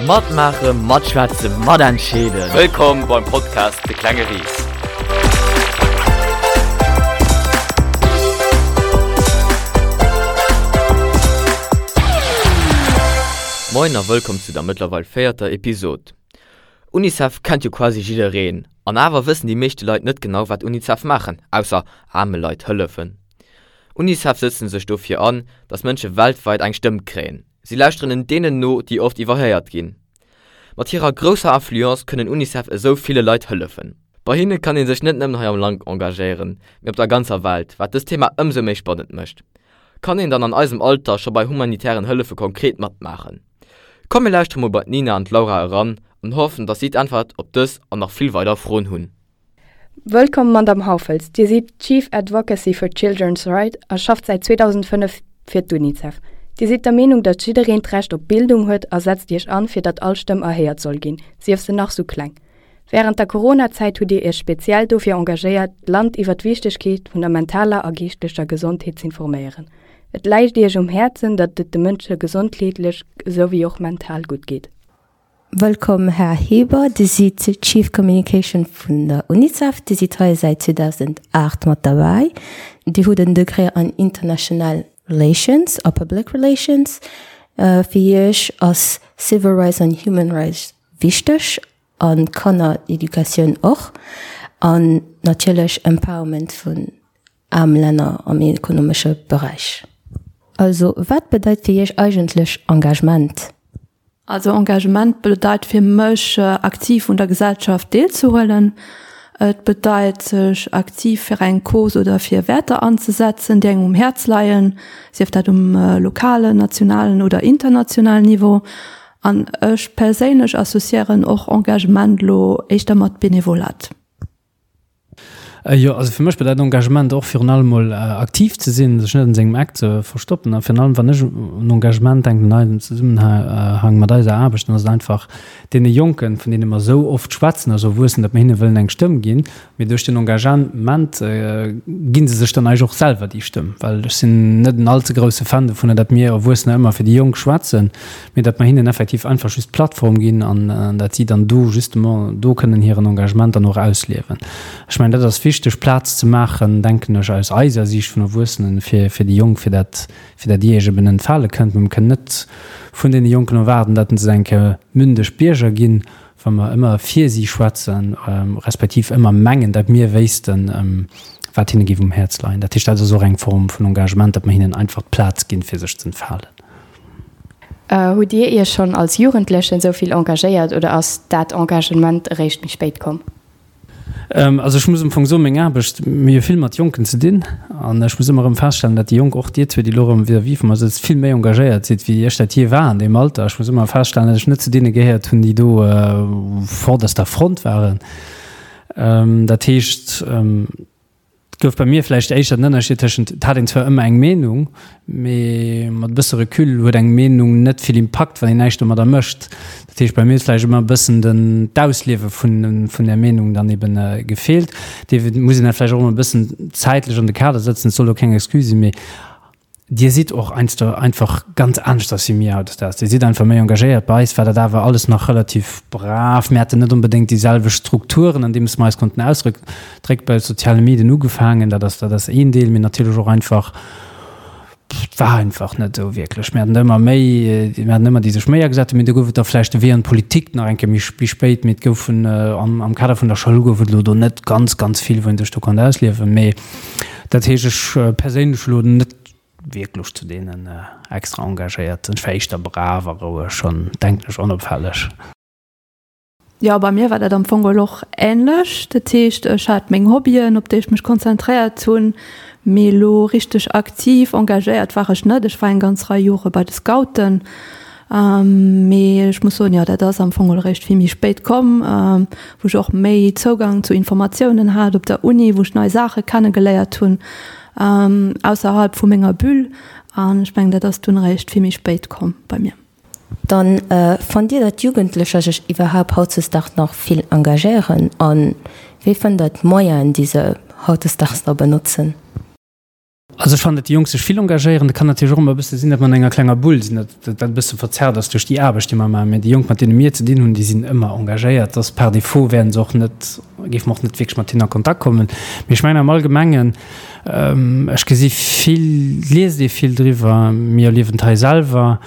Matmaachen, matschwätzen, matentscheeden. Wëllkomm beim Podcast De klenge Ris. Moin a wëllkomm zu der mëttlerweil véierter Episod. Unicef kennt jo quasi jiddereen, an awer wëssen déi meeschte Leit net genau wat Unicef maachen, ausser aarme Leit hëllefen. Unicef sëtzen sech dofir an, datt Mënsche weltweit eng Stëmm kréien. Si lauschteren deenen no, déi oft iwwerhéiert ginn. Mat hirer grousser Influence kënnen Unicef esou ville Leit hëllefen. Bei hinne kann ee sech net nëmmen hei am Land engagéieren, mee op der ganzer Welt, wat dëst Thema ëmsou méi spannend mécht. Kann een dann an eisem Alter scho bei humanitären Hëllefe konkret matmaachen? Komm mir lauschtere mol bei d'Nina an d'Laura eran an hoffen, dass si d'Äntwert op dës an nach vill weider Froen hunn. Wëllkomm Madamm Hauffels, Dir sidd Chief Advocacy for Children's Right a schafft säit 2005 fir d'UNICEF. Dir sidd der Meenung, datt jiddereen d'Recht op Bildung huet a setzt Iech an, fir datt all Stëmm erhéiert soll ginn, sief se nach sou kleng. Wärend der Corona-Zäit hutt Dir Iech speziell dofir engagéiert, d'Land iwwer d'Wichtegkeet vun der mentaler a geeschtlecher Gesondheet z'informéieren. Et läicht Iech um Häerzen, datt et de Mënsche gesondheetlech esou wéi och mental gutt geet. Wëllkomm Här Heber, Dir sidd Chief Communication vun der UNICEF. Dir sidd hei säit 2008 mat derbäi. Dir hutt en Degré an International Relations a Public Relations. Fir Iech ass Civil Rights an Human Rights wichteg an d'Kannereducatioun och an natierlech Empowerment vun aarm Länner am ekonomesche Beräich. Also wat bedeit fir Iech eigentlech Engagement? Also Engagement bedeit fir mech aktiv un der Gesellschaft deelzehuelen. Et bedeit sech aktiv fir eng Cause oder fir Wäerter anzesetzen, déi engem um Häerz leien, sief dat um lokalen, nationalen oder internationalen Niveau. An ech perséinlech associéieren och Engagement elo éischter mat Benevolat. Jo, also fir mech bedeit Engagement och virun allem mol aktiv ze sinn, sech net an sengem Eck ze verstoppen. A virun allem wann ech un Engagement denken an eisem Zesummenhang mat eiser Aarbecht, dann ass et einfach deene Jonken, vun deene mer esou oft schwätzen, also Erwuessenen, datt mer hinne wëllen eng Stëmm ginn. Mee duerch den Engagement gi se sech dann eigentlech och selwer déi Stëmm. Well ech sinn net en allze grousse Fan dovunner, datt mir Erwuessener ëmmer fir déi Jonk schwätzen. mee datt mer hinnen effektiv einfach just d'Plattform ginn an datt si dann do justement do kënnen hiren Engagement dann och ausliewen. Ech mengen, dat ass wichteg, Plaz ze maachen, denken ech, aus eiser Siicht vun Erwuessenen, fir, fir déi Jonk, fir dat, fir dat Dir Iech eben entfale kënnt. Mee mer kënnen net vun deene Jonken erwaarden, datt se eng Kéier mündeg Bierger ginn, wa mer ëmmer fir si schwätzen, respektiv ëmmer mengen, datt mir wéissten, wat hinne géif um Häerz leien. Dat heescht, dat ass och eng Form vun Engagement, datt mer hinnen einfach d'Plaz ginn, fir sech z'entfalen. Hutt Dir Iech schonn als Jugendlechen esou vill engagéiert oder ass dat Engagement eréischt méi spéit komm? Also ech muss am Fong soen, meng Aarbecht, mir hu vill mat Jonken ze dinn an ech muss ëmmer erëm feststellen, datt déi Jonk, och Dir zwee, déi elo erëm vis-à-vis vu mer sëtzt, vill méi engagéiert sidd, wéi ech dat jee war an deem Alter. Ech muss ëmmer feststellen, datt ech net zu deene gehéiert hunn, déi do vorderster Front waren. Dat heescht, Et gouf bei mir vläicht éischter den Ënnerscheed tëschent, et hat een zwar ëmmer eng Meenung, mee mat e bësse Recul huet eng Meenung net vill Impakt, wann een näischt domadder mécht. Dat heescht, bei mir huet vläicht ëmmer e bëssen den, d'Ausliewe vun, vun där Meenung dann eben gefeelt. Dee muss een dat vläicht och ëmmer e bëssen zäitlech an de Kader sëtzen. Et soll elo keng Excuse sinn, mee Dir sidd och heiansdo einfach ganz aneschters wéi mir hautdesdaags. Dir sidd einfach méi engagéiert. Bei eis war dat awer alles nach relativ brav. Mir haten net onbedéngt déi selwecht Strukturen, an deem s mer eis konnten ausdrécken. Bei soziale Medien ugefaangen, dat ass, dat ass een Deel, mee natierlech och einfach, et war einfach net esou wierklech. Mir haten der ëmmer méi, mir haten ëmmer déi sech méi agesat hunn, mee do gouf et da vläicht de Wee an d'Politik nach eng Kéier méi spéit, mee et goufen am, am Kader vun der Schoul gouf et elo do net ganz, ganz vill, wou een sech do konnt ausliewen. Mee Dat heescht, ech perséinlech elo net wierklech zu deenen extra Engagéierten. Ech war éischter brav a roueg an, denken ech, onopfälleg. Jo, bei mir war dat am Fong geholl och änlech. Dat heescht, ech hat meng Hobbyen, op déi ech mech konzentréiert hunn, mee elo richteg aktiv engagéiert war ech net. Ech war eng ganz Rei Jore bei de Scouten. Mee ech muss soen, jo, dat ass am Fong eréischt vill méi spéit komm, wou ech och méi Zougang zu Informatiounen hat op der Uni, wou ech nei Saache kennegeléiert hunn ausserhalb vu menger Bulle. An ech mengen, dat ass dunn eréischt vill méi spéit komm bei mir. Dann, fannt Dir, datt Jugendlecher sech iwwerhaupt hautdesdaags nach vill engagéieren? A wéi fënnt Der d'Moyenen, déi se hautdesdaags da benotzen? Also ech fannen, datt déi Jonk sech vill engagéieren. Et kann natierlech och ëmmer e bësse sinn, datt mer an enger klenger Bull sinn, datt dat e bësse verzerrt ass duerch déi Aarbecht, déi mer maachen. Mä déi Jonk, mat deene mir ze dinn hunn, déi sinn ëmmer engagéiert. Dass par défaut wäerten se och net, géife mer och net wierklech mat hinnen a Kontakt kommen. Mee ech mengen am Allgemengen, ech gesi vill, et liest ee vill driwwer, mir erliewen et hei selwer,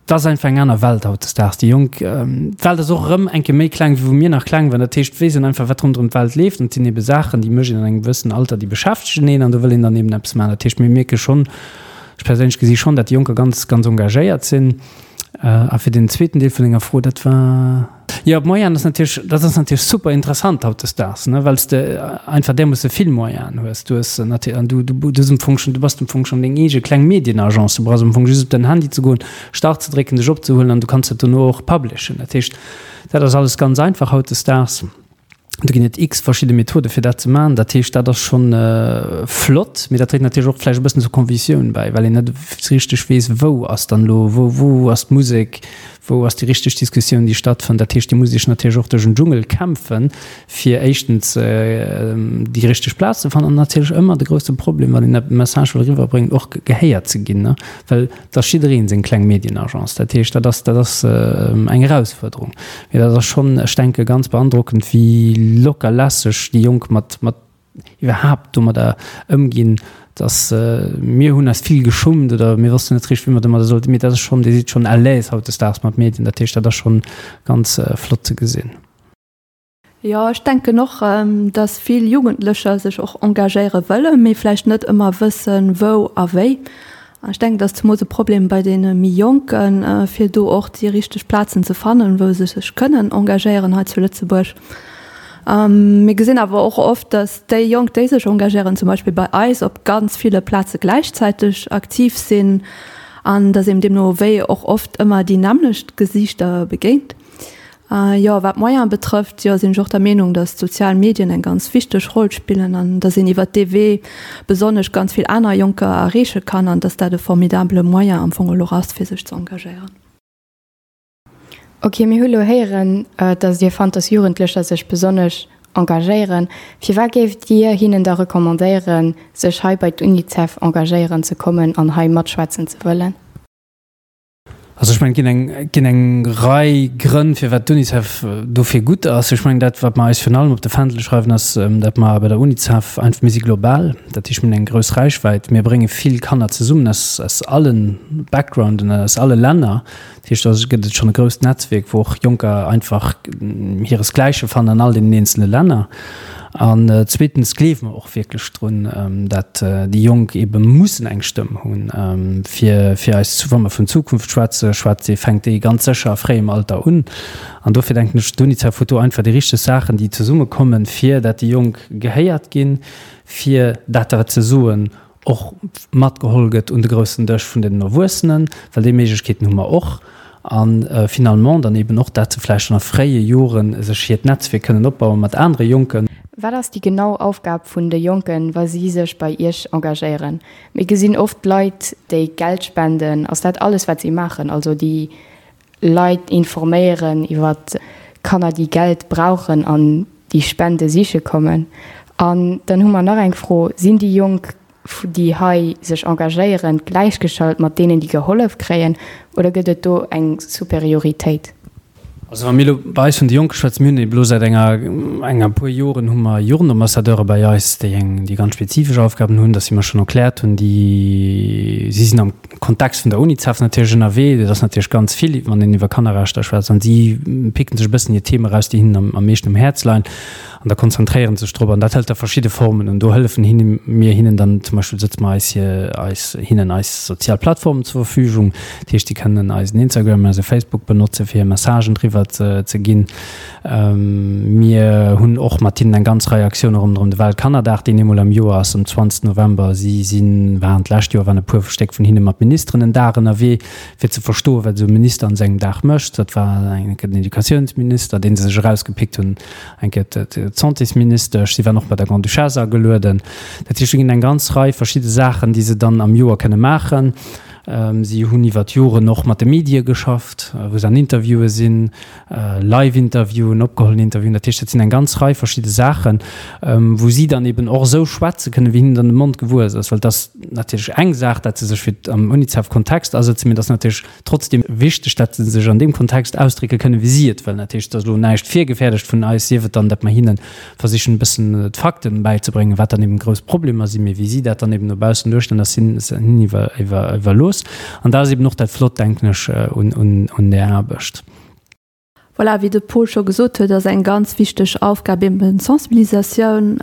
Et ass einfach eng aner Welt hautdesdaags. Déi Jonk, d'Welt ass och erëm eng Kéier méi kleng, wéi wou mir nach kleng waren. Dat heescht, et weess een einfach, wat ronderëm d'Welt leeft. An et sinn ebe Saachen, déi mécht een an engem gewëssenen Alter, déi beschäftegen een an do wëll een dann eben eppes maachen. Dat heescht, mir mierke schonn, ech perséinlech gesi schonn, dat déi Jonker ganz, ganz engagéiert sinn. A fir den zweeten Deel vun denger Fro, dat war. Jo, d'Moyenen ass natierlech, dat ass natierlech super interessant hautdesdaags, ne, well s de einfach därmoosse vill Moyenen hues. Du hues natierlech, an du, du hues am Fong schonn, du bass am Fong schonn deng eege kleng Medienagence. Du brauchs am Fong just op däin Handy ze goen, Start ze drécken, dech opzehuelen an du kanns dat dono och publishen. Dat heescht, dat ass alles ganz einfach hautdesdaags. Do ginn et x verschidde Methode fir dat ze maachen. Dat heescht, dat ass schonn flott, mee dat dréit natierlech och vläicht e bëssen zur Confusioun bäi, well een net richteg weess, wou ass dann elo, wou, wou ass d'Musek, wou ass déi richteg Diskussioun, déi stattfënnt. Dat heescht, Dir musst Iech natierlech och duerch en Dschungel kämpfen, fir éischtens déi richteg Plaz ze fannen an natierlech ëmmer de grousse Problem, wann een e Message wëll eriwwerbréngen, och gehéiert ze ginn, well Et ass jiddereen seng kleng Medienagence. Dat heescht, dat ass, dat ass eng Erausfuerderung. Mee dat ass schonn, ech denke ganz beandrockend, wéi locker lässeg déi Jonk mat, mat iwwerhaapt domadder ëmginn, dass mir hunn eis vill geschummt oder mir wossten net richteg, wéi mer domadder sollten, mee dat ass schonn, Dir sidd schonn à l'aise hautdesdaags mat Medien. Dat heescht, dat ass schonn ganz flott ze gesinn. Jo, ech denken och, dass vill Jugendlecher sech och engagéiere wëllen, mee vläicht net ëmmer wëssen, wou a wéi. An ech denken, dat ass zemools e Problem bei deene méi Jonken, fir do och déi richteg Plazen ze fannen, wou se sech kënnen engagéieren hei zu Lëtzebuerg. Mir gesinn awer och oft, dass déi Jonk, déi sech engagéieren, zum Beispill bei eis, op ganz ville Plaze gläichzäiteg aktiv sinn an dass een deemno wéi och oft ëmmer déi nämmlecht Gesiichter begéint. Jo, wat d'Moyene betrëfft, jo, sinn ech och der Meenung, datt d'sozial Medien eng ganz wichteg Roll spillen an datt een iwwert dee Wee besonnesch ganz vill aner Jonker erreeche kann an datt dat e formidabele Moyen am Fong elo ass, fir sech ze engagéieren. Ok, mir hu lo héieren, datt Dir fannt, datt Jugendlecher sech besonnesch engagéieren. Firwat géift Dir hinnen da recommandéieren, sech hei bei d'UNICEF engagéieren ze kommen an hei matschwätzen ze wëllen? Also ech mengen, et ginn eng, et ginn eng Rei Grënn, firwat d'UNICEF dofir gutt ass. Ech mengen, dat, wat mer eis virun allem op de Fändel schreiwen, ass, datt mer bei der UNICEF einfach, mir si global, dat heescht, mir hunn eng grouss Räichwäit, mir brénge vill Kanner zesummen aus, aus alle Backgrounden, aus alle Länner. Dat heescht, do gëtt et schonn e grousst Netzwierk, wou och Jonker einfach hiresgläiche fannen an all deenen eenzele Länner. An zweetens gleewe mer och wierklech drun, dat déi Jonk eebe mussen eng Stëmm hunn, fir fir eis, wa mer vun Zukunft schwätze, schwätzt ee, fänkt déi ganz sécher a fréiem Alter un. An dofir denken ech, d'UNICEF huet do einfach déi richteg Saachen, déi zesummekommen, fir dat déi Jonk gehéiert ginn, fir dat wat se soen och matgeholl gëtt un de groussen Dësch vun den Erwuessenen, well déi Méiglechkeeten hu mer och, a finalement dann eben och dat se vläicht schonn a fréie Jore sech hiert Netzwierk kënnen opbaue mat anere Jonken. Wat ass déi genau Aufgab vun de Jonken, wa si sech bei Iech engagéieren? Mir gesinn oft Leit, déi Geld spenden. Ass dat alles, wat si maachen? Also déi Leit informéieren iwwer Kanner, déi Geld brauchen an déi Spende siche kommen. An dann hu mer nach eng Fro, Sinn déi Jonk, déi hei sech engagéieren, gläichgeschalt mat deenen, déi gehollef kréien, oder gëtt et do eng Superioritéit? Also wa mir elo bei eis vun de Jonke schwätzen, mir hunn ebe elo säit enger, enger puer Joren hu mer Jugendambassadeure bei eis, déi eng, déi ganz spezifesch Aufgaben hunn, dass si mer schonn erkläert hunn, déi, si sinn am Kontext vun der UNICEF natierlech ënnerwee. Dat ass natierlech ganz vill, wann een iwwer Kannerrechter schwätzt. An si picken sech e bëssen hir Theme eraus, déi hinnen am, am meeschten um Häerz leien. An da konzentréiere sech drop. An dat hëlt da verschidde Formen un. Do hëllefen hinne mir hinnen dann zum Beispill, sëtze mer eis hir, eis, hinnen eis sozial Plattformen zur Verfügung. Dat heescht, si kënnen eisen Instagram, eise Facebook benotze fir hir Messagen driwwer ze, ze ginn. Mir hunn och mat hinnen eng ganz Rei Aktioune ronderëm de Weltkannerdag, deen eemol am Joer ass, am 20 November. Si sinn, waren d'lescht Joer waren e puer Stéck vun hinne mat Ministeren en Dag ënnerwee, fir ze verstoen, wat esou e Minister an sengem Dag mécht. Dat war eng Kéier den Educatiounsminister, dee se sech erausgepickt hunn, eng Kéier d'Santésministesch. Si waren och bei der Grande-Duchesse agelueden. Dat heescht, do ginn eng ganz Rei verschidde Saachen, déi se dann am Joer kënne maachen. Si hunn iwwer d'Joren och mat de Medie geschafft, wou se an Interviewe sinn, Live-Interviewen, opgehollen Interviewen. Dat heescht, dat sinn eng ganz Rei verschidde Saachen, wou si dann eben och esou schwätze kënnen, wéi hinnen dann de Mond gewuess ass. Well et ass natierlech eng Saach, datt se sech fir am UNICEF-Kontext asëtzen, mee et ass natierlech trotzdeem wichteg, datt se sech an deem Kontext ausdrécke kënnen, wéi si et wëllen. Dat heescht, et ass elo näischt virgefäerdegt vun eis, sief et dann, datt mer hinne versichen, e bëssen d'Fakten bäizebréngen, wat dann eben grouss Problemer sinn, mee wéi si dat dann eben no baussen duerstellen, ass hinnen iwwerlooss. An dat ass eben och dat Flott, denken ech, un där Aarbecht. Voilà, wéi de Paul scho gesot huet, ass eng ganz wichteg Aufgab eben d'Sensibilisatioun.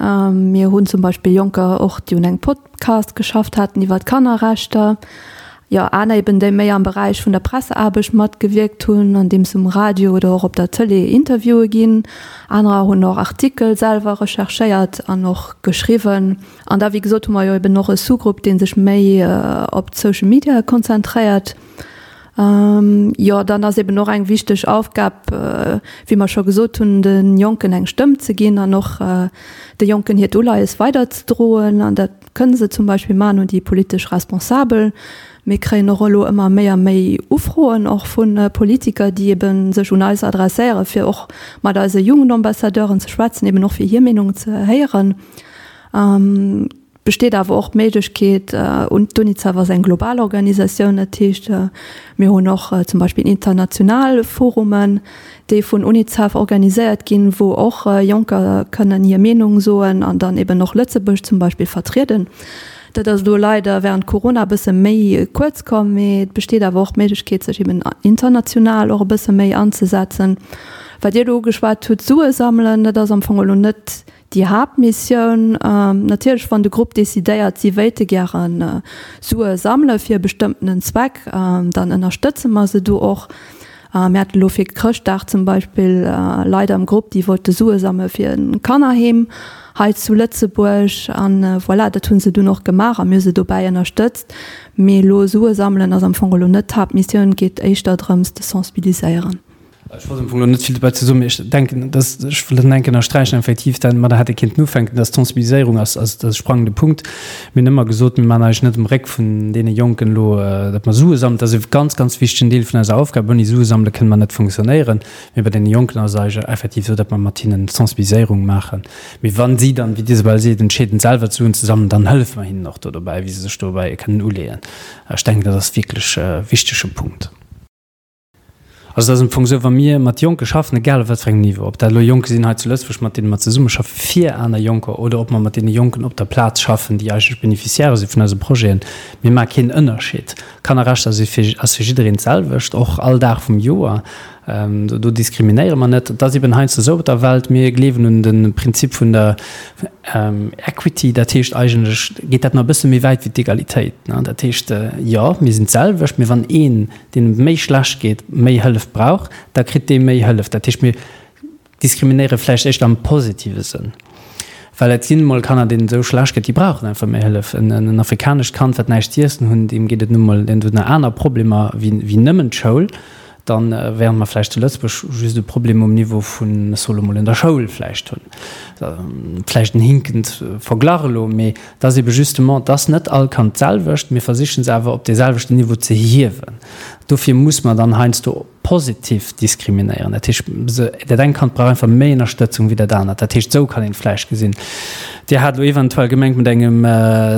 Mir hunn zum Beispill Jonker och, déi un engem Podcast geschafft haten iwwer d'Kannerrechter, jo aner eben, déi méi am Beräich vun der Presseaarbecht matgewierkt hunn, andeems se um Radio oder och op der Tëlee Interviewe ginn. Anerer hunn och Artikel selwer recherchéiert an och geschriwwen. An da, wéi gesot, hu mer jo eben och e Sous-Grupp, dee sech méi op d'Social Media konzentréiert. Jo, dann ass eben och eng wichteg Aufgab, wéi mer scho gesot hunn, de Jonken eng Stëmm ze ginn an och de Jonken hiert Uleies weiderzedroen. An dat kënne se zum Beispill maachen un déi politesch Responsabel. Mir kréien och elo ëmmer méi a méi Ufroen och vu Politiker, déi ebe sech un eis adresséieren, fir och mat eise Jugendambassadeuren ze schwätzen, eben och fir hir Meenung ze héieren. Besteet awer och d'Méiglechkeet, un d'UNICEF ass eng global Organisatioun, dat heescht mir hunn och zum Beispill international Forumen, déi vun UNICEF organiséiert ginn, wou och Jonker kënnen hir Meenung soen an dann eben och Lëtzebuerg zum Beispill vertrieden. Dat ass elo leider während Corona e bësse méi kuerz komm, mee et besteet awer och d'Méiglechkeet sech eben international och e bësse méi anzesetzen. Wat Dir elo ugeschwat hutt, Sue sammelen, dat ass am Fong elo net Déi Haaptmissioun, natierlech wann de Grupp decidéiert, si wéilte gäre Sue sammele fir e bestëmmtenen Zweck, dann ënnerstëtze mer se do och. Mir hate lo fir Chrëschtdag zum Beispill Leit am Grupp, déi wollte Sue sammele fir e Kannerheem hei zu Lëtzebuerg. An voilà, dat hu se dunn och gemaach a mir hu se dobäi ënnerstëtzt. Mee elo Sue sammelen ass am Fong elo net d'Haaptmissioun, et geet éischter drëms ze sensibiliséieren. Ech wollt am Fong elo net vill dobäi ze soen, mee ech denken, dass, ech wëll dat enk ënnersträichen, effektiv, dat mat der hätt ee kéinten ufänken, dass d'Sensibiliséierung ass, ass de sprangende Punkt. Mir hunn ëmmer gesot, mir maachen eigentlech net um Réck vun deene Jonken elo, datt mer Sue sammelen. Dat ass e ganz, ganz wichtegen Deel vun eiser Aufgab. Ouni Sue sammele kënne mer net funktionéieren. Mee bei deene Jonken ass et eigentlech effektiv esou, datt mer mat hinnen Sensibiliséierung maachen. Mee wa si dann, wéi d'Isabel seet, entscheeden, selwer d'Suen ze sammelen, dann hëllefe mer hinnen och do dobäi, wéi se sech dobäi kënnen uleeën. Ech denken, dat ass wierklech e wichtege Punkt. Also et ass am Fong esou, wa mir mat Jonke schaffen, egal op wat fir engem Niveau, ob dat elo Jonke sinn hei zu Lëtzebuerg, mat deene mer zesummeschaffe fir aner Jonker, oder ob mer mat deene Jonken op der Plaz schaffen, déi eigentlech Beneficiairë si vun eise Projeten, mir maache keen Ënnerscheed. Kannerrechter si fir, ass fir jiddereen d'selwecht, och all Dag vum Joer. Do diskriminéiere mer net. Et ass eben heiansdo esou op der Welt, mir gleewen un de Prinzip vun der Equity, dat heescht eigentlech geet dat nach e bësse méi wäit wéi d'Egalitéit. Dat heescht, jo, mir sinn d'selwecht, mee wann een deem et méi schlecht geet, méi Hëllef brauch, da kritt dee méi Hëllef. Dat heescht, mir diskriminéiere vläicht éischter am positive Sënn, well et sinn emol Kanner, deenen et esou schlecht geet, déi brauchen einfach méi Hëllef. En afrikanescht Kand, wat näischt z'iessen hunn, deem geet et nu mol, deen huet nach aner Problemer wéi nëmmen d'Schoul. Dann, während mer vläicht zu Lëtzebuerg just e Problem um Niveau vun, ech soe lo mol, un der Schoul vläicht hunn. Vläicht en hinkend Verglach elo, mee et ass ebe justement, et ass net all Kand d'selwecht. Mir versichen se awer op dee selwechten Niveau ze hiewen. Dofir muss mer dann heiansdo positiv diskriminéieren. Dat heescht, dat eng Kand brauch einfach méi Ënnerstëtzung wéi dat anert. Dat heescht, esou kann een et vläicht gesinn. Dir hat elo eventuell gemengt mat engem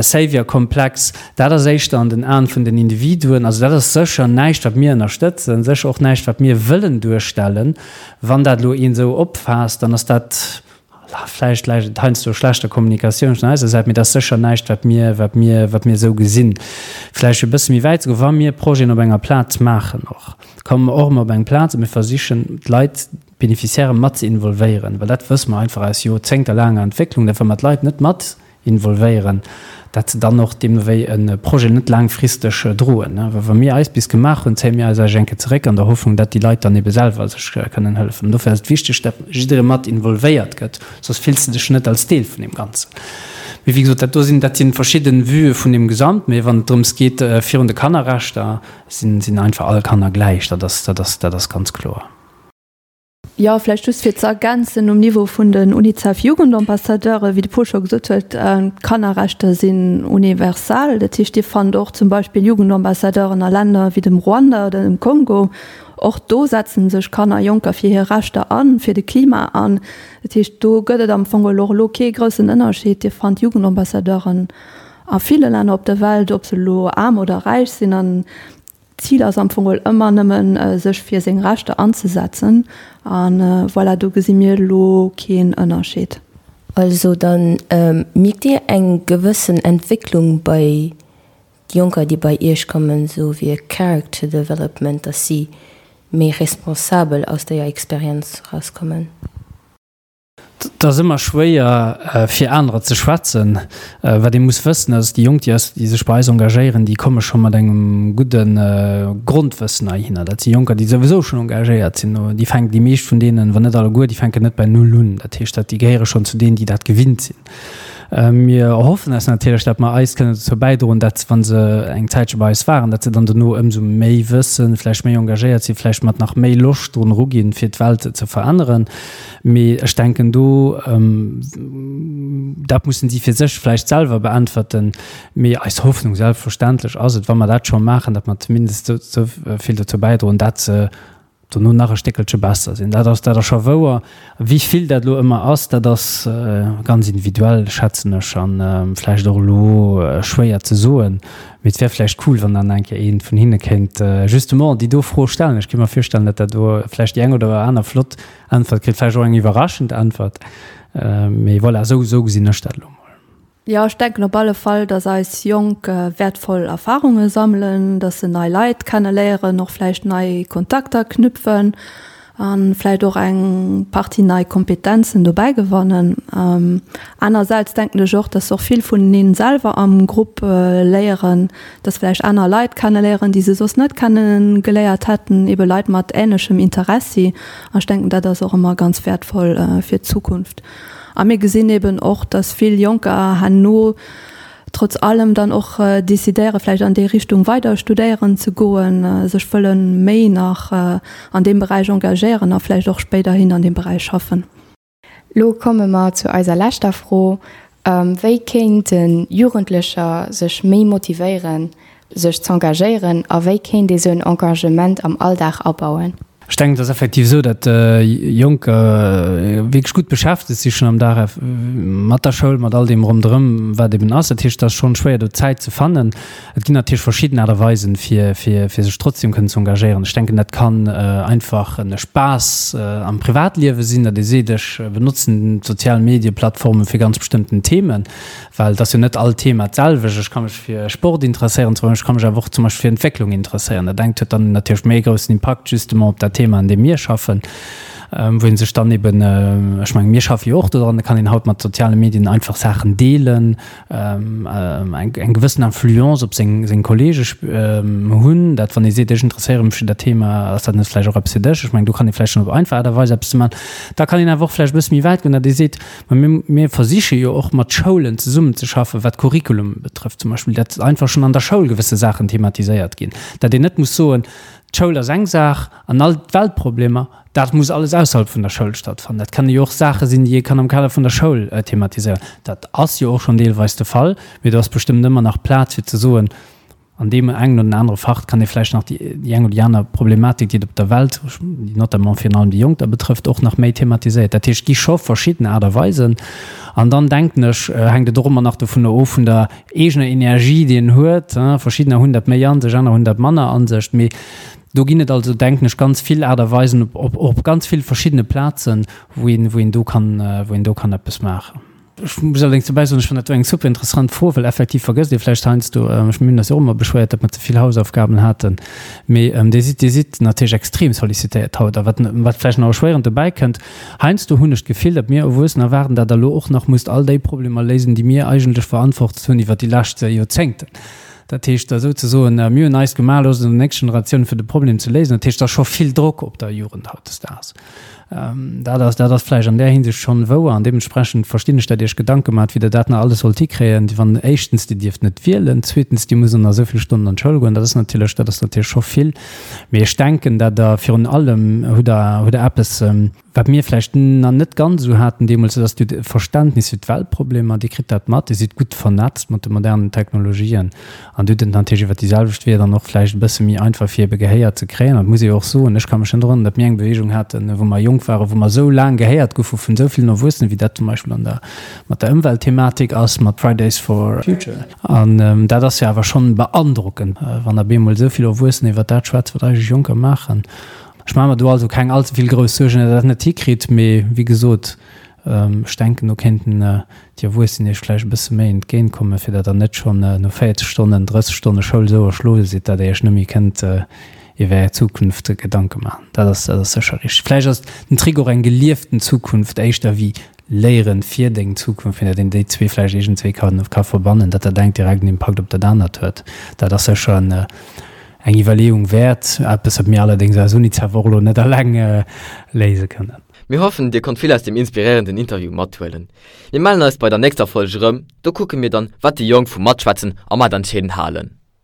Savior-Komplex. Dat ass éischter an den Aen vun den Individuen. Also dat ass sécher näischt, wat mir ënnerstëtzen, sécher och näischt, wat mir wëllen duerstellen. Wann dat elo een esou opfaasst, dann ass dat vläicht läit et heiansdo u schlechter Kommunikatioun vun eiser Säit, mee dat ass sécher näischt, wat mir, wat mir, wat mir esou gesinn. Vläicht fir e bësse méi wäit ze goen, Wa mir Projeten op enger Plaz maachen och, komme mer och ëmmer op eng Plaz a mir versichen d'Leit, d'Beneficiairë mat ze involvéieren, well dat wësse mer einfach aus joerzéngterlaanger Entwécklung, dat wa mer d'Leit net mat involvéieren, dat se dann och deemno wéi e Projet net laangfristeg droen. Well wa mir eis bis gemaach hunn, zéie mir eis eigentlech eng Kéier zeréck an der Hoffnung, dat déi Leit dann ebe selwer sech kënnen hëllefen. An dofir ass et wichteg, dat jidderee mat involvéiert gëtt, soss fills de dech net als Deel vun deem Ganzen. Mee wéi gesot, dat do sinn, dat si verschidde Vuë vun deem Gesamt. Mee wann et drëms geet, virun de Kannerrechter sinn, sinn einfach all Kanner gläich. Dat ass, dat ass, dat ass ganz kloer. Jo, vläicht just fir ze ergänzen, um Niveau vun den UNICEF-Jugendambassadeure, wéi de Paul scho gesot huet, d'Kannerrechter sinn universal. Dat heescht, Dir fannt och zum Beispill Jugendambassadeuren a Länner wéi dem Ruanda oder dem Kongo. Och do setze sech Kanner a Jonker fir hir Rechter an, fir de Klima an. Dat heescht, do gëtt et am Fong och elo kee groussen Ënnerscheed. Dir fannt Jugendambassadeuren a ville Länner op der Welt, ob se elo aarm oder räich sinn. An D'Zil ass am Fong geholl ëmmer nëmmen, sech fir seng Rechter anzesetzen. A voilà, do gesi mir elo keen Ënnerscheed. Also dann mierkt Dir eng gewëssen Entwécklung bei Jonker, déi bei Iech kommen, esou wéi e Character Development, dass si méi responsabel aus déier Experienz rauskommen? Et ass ëmmer schwéier fir anerer ze schwätzen. Wat ee muss wëssen ass, déi Jonk, déi déi sech bei eis engagéieren, déi komme scho mat engem gudde Grondwëssen heihinner. Dat si Jonker, déi souwisou schonn engagéiert sinn. Déi fänken, déi meescht vun deenen, wann net alleguer, déi fänken net bei Null un. Dat heescht, dat déi gehéiere schonn zu deenen, déi dat gewinnt sinn. Mir erhoffen eis natierlech, datt mer eis kënnen dozou bäidroen, datt, wa se eng Zäitche bei eis waren, datt se dann dono ëmsou méi wëssen, vläicht méi engagéiert sinn, vläicht mat nach méi Loscht drun eruginn, fir d'Welt ze veränneren. Mee ech denken do, dat mussen si fir sech vläicht selwer beäntwerten. Mee eis Hoffnung selbstverständlech ass et, wa mer dat scho maachen, datt mer zumindest esou vill dozou bäidroen, datt se dono nach e Stéckelche besser sinn. Dat ass, dat ass scho wouer. Wéi vill dat elo ëmmer ass, dat ass ganz individuell, schätzen ech, a vläicht och elo schwéier ze soen. Mee et wär vläicht cool, wann dann eng Kéier ee vun hinne kéint justement déi do Fro stellen. Ech kéint mer virstellen, datt dat do vläicht déi eng oder aner flott Äntwert kritt, vläicht och eng iwwerraschend Äntwert. Mee voilà, esou, esou gesinn ech dat elo mol. Jo, ech denken op alle Fall, dass eis Jonk wäertvoll Erfarunge sammelen, dass se nei Leit kenneléieren, och vläicht nei Kontakter knüpfen a vläicht och eng Partie nei Kompetenzen dobäi gewannen. Anersäits denken ech och, dass se och vill vuneneen selwer am Grupp léieren, dass vläicht aner Leit kenneléieren, déi se soss net kennegeléiert hätten, ebe Leit mat änlechem Interessi. An ech denken, dat ass och ëmmer ganz wäertvoll fir d'Zukunft. A mir gesinn eben och, dass vill Jonker herno trotz allem dann och decidéieren, vläicht an déi Richtung weider studéieren ze goen, sech wëlle méi nach an deem Beräich engagéieren a vläicht och spéiderhin an deem Beräich schaffen. Lo komme mer zu eiser leschter Fro, Wéi kéinte Jugendlecher sech méi motivéieren, sech z'engagéieren a wéi kéint ee sou en Engagement am Alldag abauen? Ech denken, et ass effektiv esou, datt Jonker wierklech gutt beschäftegt si schonn am Dag mat der Schoul, mat all deem ronderëm, wat eben ass. Dat heescht, et ass schonn schwéier, do Zäit ze fannen. Et ginn natierlech verschidden Aart a Weisen, fir, fir, fir sech trotzdem kënnen ze engagéieren. Ech denken, dat kann einfach e Spaass am Privatliewe sinn, datt ee seet, ech benotzen d'sozial Medieplattforme fir ganz bestëmmten Themen. Well et ass jo net all Thema d'selwecht. Ech ka mech fir Sport interesséieren zum Beispill, ech ka mech awer och zum Beispill fir Entwécklung interesséieren. Dat engt huet dann natierlech méi e groussen Impakt justement op dat Thema, an deem mir schaffen, wou ee sech dann eben, ech mengen, mir schaffe jo och dodran, da kann een haut mat soziale Medien einfach Saachen deelen, eng eng gewëssen Influence op seng seng Kollege hunn. Dat wann ee seet, ech interesséiere mech fir dat Thema, ass dat net vläicht och eppes fir dech? Ech mengen, do kann ee vläicht schonn op einfach Aart a Weis eppes ze maachen. Da kann een awer och vläicht e bësse méi wäit goen, datt ee seet, Mä mir, mir versiche jo och mat Schoulen zesummenzeschaffen, wat Curriculum betrëfft zum Beispill, datt einfach schonn an der Schoul gewësse Saachen thematiséiert ginn, datt een net muss soen, d'Schoul ass eng Saach an all d'Weltproblemer, dat muss alles ausserhalb vun der Schoul stattfannen. Dat kënne jo och Saache sinn, déi ee kann am Kader vun der Schoul thematiséieren. Dat ass jo och schonn deelweis de Fall, mee do ass bestëmmt ëmmer nach Plaz fir ze soen, An deem engen oder anere Fach kann ee vläicht nach déi eng oder déi aner Problematik, déi et op der Welt, déi notamment virun allem déi Jonk da betrëfft, och nach méi thematiséiert. Dat heescht, et gi scho verschidden Aart a Weisen. An dann, denken ech, hänkt et och ëmmer nach dovunner of, vun der eegener Energie, déi een huet. Verschiddener hunn dat méi a sech, aner hunn dat manner a sech. Mee do ginn et also, denken ech, ganz vill Aart a Weisen op, och op ganz vill verschiddene Plazen, wou een, wou een do kann, wou een do kann eppes maachen. Ech muss allerdéngs dobäi soen, ech fannen dat do eng super interessant Fro, well effektiv vergësst ee vläicht heiansdo, ech mir hunn eis jo och ëmmer beschwéiert, datt mer ze vill Hausaufgaben haten, mee Dir sidd, Dir sidd natierlech extrem sollicitéiert haut. A wat, wat vläicht nach erschwéierend dobäi kënnt, heiansdo hunn ech d'Gefill, datt mir Erwuessener erwaarden, datt Der elo och nach musst all déi Problemer léisen, déi mir eigentlech verantwortet hunn iwwert déi lescht Joerzéngten. Dat heescht, da souzesoen, mir hunn eist gemaach, loosst et un der nächster Generatioun fir de Problem ze léisen. Dat heescht, et ass scho vill Drock op der Jugend hautdesdaags. Dat ass, dat ass vläicht an där Hinsicht schonn wouer an deementsprechend verstinn ech, datt Dir Iech Gedanke maacht, wéi Der dat nach alles sollt hikréien, wann éischtens Dir dierft net wielen, zweetens Dir musst nach esou vill Stonnen an d'Schoul goen. Dat ass natierlech, dat ass natierlech scho vill. Mee ech denken, datt Der virun allem hutt Der, hutt Der eppes, Wat mir vläicht nach net ganz esou haten deemools, dat ass Dir hutt e Verständnis fir d'Weltproblemer, Dir kritt dat mat, Dir sidd gutt vernetzt mat de modernen Technologien an Dir hutt et natierlech iwwert déi selwecht Weeër dann och vläicht e bësse méi einfach fir ebe Gehéier ze kréien. An et muss ee jo och soen, ech ka mech net erënneren, datt mir eng Beweegung haten, wou mer jonk waren, wou mer esou laang gehéiert goufe vun esou villen Erwuessenen, wéi dat zum Beispill an der, mat der Ëmweltthematik ass, mat Fridays for Future. An dat ass jo awer schonn beandrockend, wann op eemol esou vill Erwuessener iwwert dat schwätzen, wat eigentlech Jonker maachen. Ech maache mer do also keng allze vill grouss Suergen, datt Der dat net hikritt. Mee wéi gesot, ech denken, do kéinten déi Erwuessen Iech vläicht e bësse méi entgéintkommen, fir datt Der net schonn no 40 Stonnen, 30 Stonne Schoul esou erschloe sidd, datt Der Iech net méi kënnt iwwer Är Zukunft Gedanke maachen. Dat ass, dat ass sécher richteg. Vläicht ass den Trick och eng gelieften Zukunft éischter wéi Léieren fir deng Zukunft, fir datt een déi zwee vläicht iergendswéi ka, ka verbannen, datt dat engt direkt en Impakt op dat anert huet. Dat ass sécher en, eng Iwwerleeung wäert, eppes wat mir allerdéngs als Unicef och elo net alleng léise kënnen. Mir hoffen, dir konnt vill aus dem inspiréierenden Interview mathuelen. Mir mellen eis bei der nächster Folg erëm, do kucke mir dann, wat déi Jonk vum Matschwätzen a Matentscheeden halen.